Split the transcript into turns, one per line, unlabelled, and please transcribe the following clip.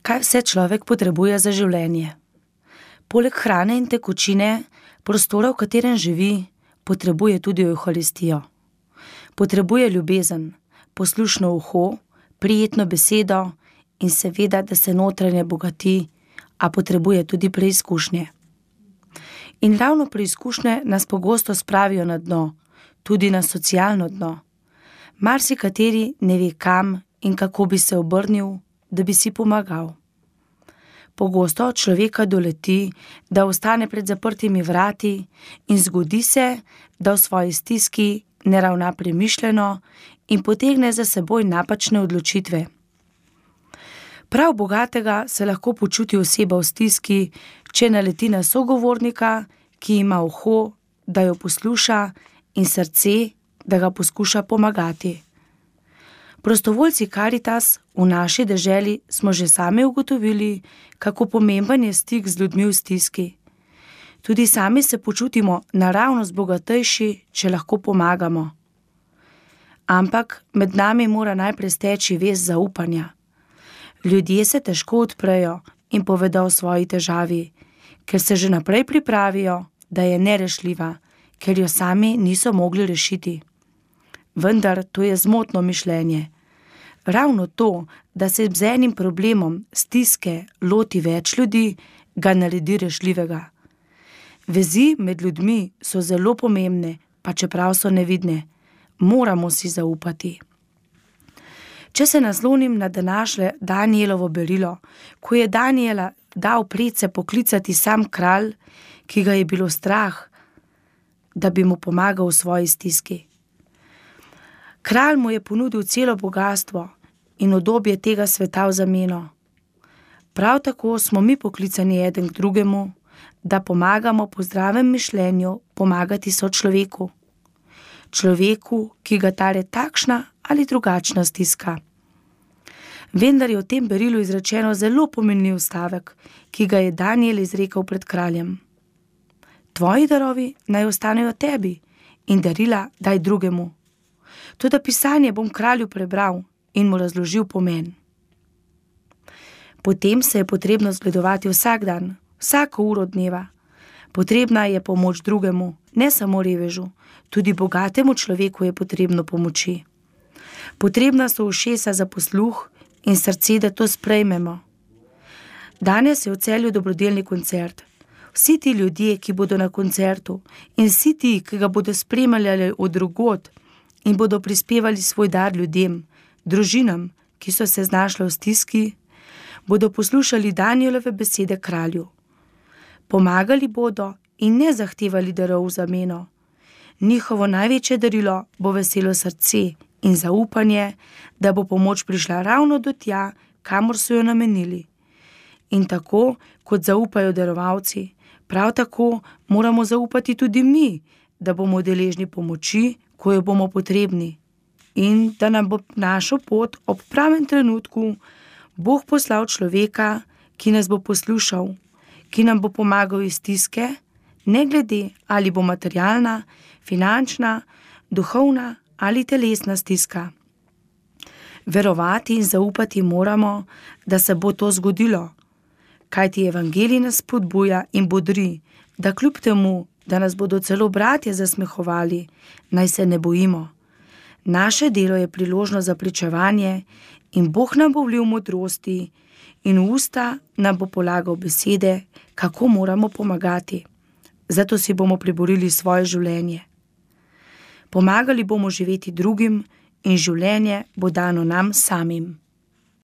Kaj vse človek potrebuje za življenje? Poleg hrane in tekočine, prostora, v katerem živi, potrebuje tudi evharistijo. Potrebuje ljubezen, poslušno uho, prijetno besedo in seveda, da se notranje bogati, a potrebuje tudi preizkušnje. In ravno preizkušnje nas pogosto spravijo na dno, tudi na socialno dno. Marsikateri ne ve, kam in kako bi se obrnil, da bi si pomagal. Pogosto človeka doleti, da ostane pred zaprtimi vrati in zgodi se, da v svoji stiski ne ravna premišljeno in potegne za seboj napačne odločitve. Prav bogatega se lahko počuti oseba v stiski, če naleti na sogovornika, ki ima uho, da jo posluša, in srce, da ga poskuša pomagati. Prostovoljci Karitas v naši deželi smo že sami ugotovili, kako pomemben je stik z ljudmi v stiski. Tudi sami se počutimo naravnost bogatejši, če lahko pomagamo. Ampak med nami mora najprej steči vez zaupanja. Ljudje se težko odprejo in povedo o svoji težavi, ker se že naprej pripravijo, da je nerešljiva, ker jo sami niso mogli rešiti. Vendar to je zmotno mišljenje. Ravno to, da se z enim problemom stiske loti več ljudi, ga naredi rešljivega. Vezi med ljudmi so zelo pomembne, pa čeprav so nevidne. Moramo si zaupati. Če se naslonim na današnje Danielovo berilo, ko je Daniela dal predse poklicati sam kralj, ki ga je bilo strah, da bi mu pomagal v svoji stiski. Kralj mu je ponudil celo bogastvo in udobje tega sveta v zameno. Prav tako smo mi poklicani eden k drugemu, da pomagamo po zdravem mišljenju pomagati sočloveku. Človeku, ki ga tare takšna ali drugačna stiska. Vendar je v tem berilu izrečeno zelo pomenljiv stavek, ki ga je Daniel izrekel pred kraljem. Tvoji darovi naj ostanejo tebi in darila daj drugemu. Toda pisanje bom kralju prebral in mu razložil pomen. Potem se je potrebno zgledovati vsak dan, vsako uro dneva. Potrebna je pomoč drugemu, ne samo revežu, tudi bogatemu človeku je potrebno pomoči. Potrebna so ušesa za posluh in srce, da to sprejmemo. Danes je v Celju dobrodelni koncert. Vsi ti ljudje, ki bodo na koncertu, in vsi ti, ki ga bodo spremljali od drugod in bodo prispevali svoj dar ljudem, družinam, ki so se znašle v stiski, bodo poslušali Danielove besede kralju. Pomagali bodo in ne zahtevali darov v zameno. Njihovo največje darilo bo veselo srce in zaupanje, da bo pomoč prišla ravno do tja, kamor so jo namenili. In tako, kot zaupajo darovalci, prav tako moramo zaupati tudi mi, da bomo deležni pomoči, ko jo bomo potrebni. In da nam bo našo pot ob pravem trenutku Bog poslal človeka, ki nas bo poslušal, ki nam bo pomagal iz stiske, ne glede ali bo materialna, finančna, duhovna ali telesna stiska. Verovati in zaupati moramo, da se bo to zgodilo, kajti evangelij nas spodbuja in bodri, da kljub temu, da nas bodo celo bratje zasmehovali, naj se ne bojimo. Naše delo je priložnost za pričevanje in Bog nam bo vlil modrosti in v usta nam bo polagal besede, kako moramo pomagati. Zato si bomo priborili svoje življenje. Pomagali bomo živeti drugim in življenje bo dano nam samim.